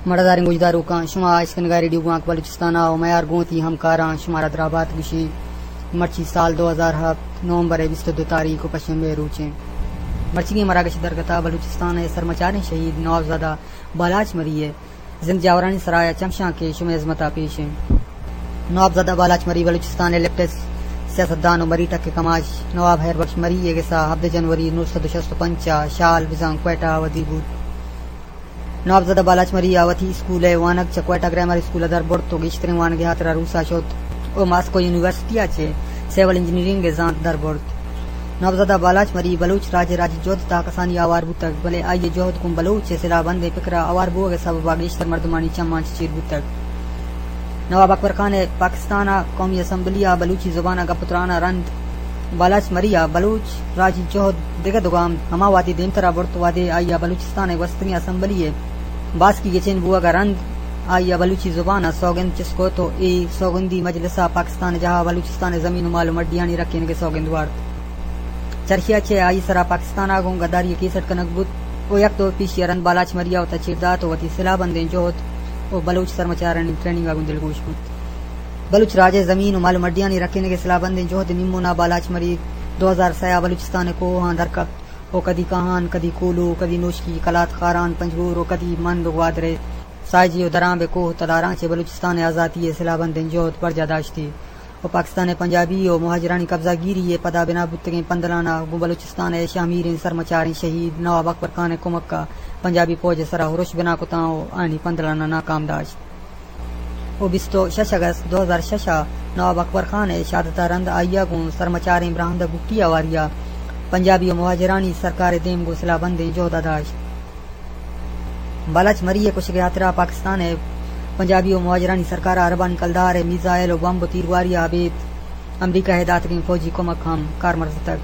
مڑداریں گوشداروکاں، شما اشکنگا ریڈیو گوانک بلوچستان ءَ ءُ میار گوں وتی ہمکاراں شمارا درابات گوشیں۔ مرچی سال دو ہزار ہپت نومبر ءِ بیست ءُ دو تاریخ ءُ پشنبے ءِ روچیں۔ مرچیگیں مراگش درگت ءَ بلوچستان ءِ سرمچاریں شہید نوابزادہ بالاچ مری ءِ زند جاورانی سرا ءَ چمشانکے شمئے ہزمت ءَ پیش ایں۔ نوابزادہ بالاچ مری بلوچستان ءِ لیفٹس سیاستدان ءُ مری ٹک ءِ کماش نواب حیر بخش مری ءِ گس ءَ ہبدہ جنوری نو سد ءُ شست ءُ پنچ ءَ شال بزاں کوئٹہ ءَ ودی بوت۔ نوابزادہ بالاچ مری ءَ وتی اسکول ءِ وانگ چہ کوئٹہ گرائمر اسکول ءَ در برت ءُ گیشتریں وانگ ءِ ہاترا روس ءَ شت ءُ ماسکو یونیورسٹی ءَ چہ سول انجینئرنگ ءِ زانت در برت۔ نوابزادہ بالاچ مری بلوچ راج ءِ راجی جہد ءِ تہا کسانی ءَ ہوار بوتگ، بلے آئی ءِ جہد گوں بلوچ ءِ سلاہ بندیں پکر ءِ ہوار بوگ ءِ سبب ءَ گیشتر مردمانی چماں چہ چیر بوتگ۔ نواب اکبر خان ءِ پاکستان ءِ قومی اسمبلی ءَ بلوچی زبان ءَ گپ ءُ تران ءَ رند بالاچ مری ءَ بلوچ راجی جہد دگہ دو گام ہما وہدی دیمتر ءَ برت، وہدے آئی ءَ بلوچستان ءِ گوستگیں اسمبلی ءِ باسکی گچین بوگ ءَ رند آئی ءَ بلوچی زبان ءَ سوگند چست کت ءُ اے سوگندی مجلس ءَ پاکستان ءِ جاہ ءَ بلوچستان ءِ زمین ءُ مال ءُ مڈیانی رکینگ ءِ سوگند وارت۔ چرشی ءَ چہ آئی ءِ سرا پاکستان ءَ گوں گداری ءِ کیس اڈ کنگ بوت ءُ یک دور پیشی ءَ رند بالاچ مری ءَ وتا چیر دات ءُ وتی سلاہ بندیں جہد ءُ بلوچ سرمچارانی ٹریننگ ءَ گوں دلگوش بوت۔ بلوچ راج ءِ زمین ءُ مال ءُ مڈیانی رکینگ ءِ سلاہ بندیں جہد ءِ نیمون ءَ بالاچ مری دو ہزار سئے ءَ بلوچستان ءِ کوہاں در کپت ءُ کدی کاہان، کدی کولو، کدی نوشکی، کلات، خاران، پنجگور ءُ کدی مند ءُ گوادر ءِ ساجی ءُ درامب ءِ کوہ ءُ تلاراں چہ بلوچستان ءِ آزاتی ءِ سلاہ بندیں جہد برجاہ داشتی ءُ پاکستان ءِ پنجابی ءُ مہاجرانی قبضہ گیری ءِ پدا بنا بوتگیں پندلاناں گوں بلوچستان ءِ شہمیریں سرمچاریں شہید نواب اکبر خان ءِ کمک ءَ پنجابی پوج ءِ سرا ارش بنا کتاں ءُ آیانی پندلاناں ناکام داشت۔ ءُ بیست ءُ شش اگست دو ہزار شش ءَ نواب اکبر خان ءِ شہادت ءَ رند آئی ءَ گوں سرمچاریں براہند بگٹی ءَ ہواری ءَ پنجابی ءُ مہاجرانی سرکار ءِ دیم گوں سلاہ بندیں جہد ءَ داشت۔ بالاچ مری ءِ کشگ ءِ ہاترا پاکستان ءِ پنجابی ءُ مہاجرانی سرکار ءَ عربانی کلدار ءِ میزائل ءُ بمب ءُ تیرگواری ءَ ابید امریکہ ءِ داتگیں فوجی کمک ہم کارمرز اتگ۔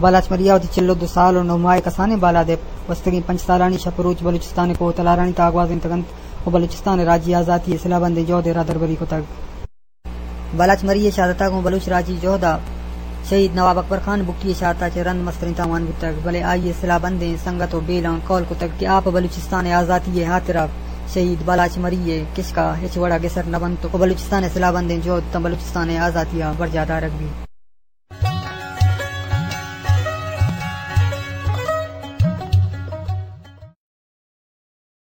بالاچ مری ءَ وتی چل ءُ دو سال ءُ نو ماہ ءِ کسانیں بالاد ءِ گوستگیں پنچ سالانی شپ ءُ روچ بلوچستان ءِ کوہ ءُ تلارانی تہا گوازینتگ انت ءُ بلوچستان ءِ راجی آزاتی ءِ سلاہ بندیں جہد ءِ راہدربری کتگ۔ بالاچ مری ءِ شہادت ءَ گوں بلوچ راجی جہد ءَ شہید نواب اکبر خان بگٹی ءِ شہادت ءَ چہ رند مستریں تاوان بوتگ، بلے آئی ءِ سلاہ بندیں سنگت ءُ بیلاں قول کتگ کہ آ پہ بلوچستان ءِ آزاتی ءِ ہاترا شہید بالاچ مری ءِ کشک ءَ ہچ وڑ ءَ گسر نہ بنت ءُ بلوچستان ءِ سلاہ بندیں جہد تاں بلوچستان ءِ آزاتی ءَ برجاہ دارگ بیت۔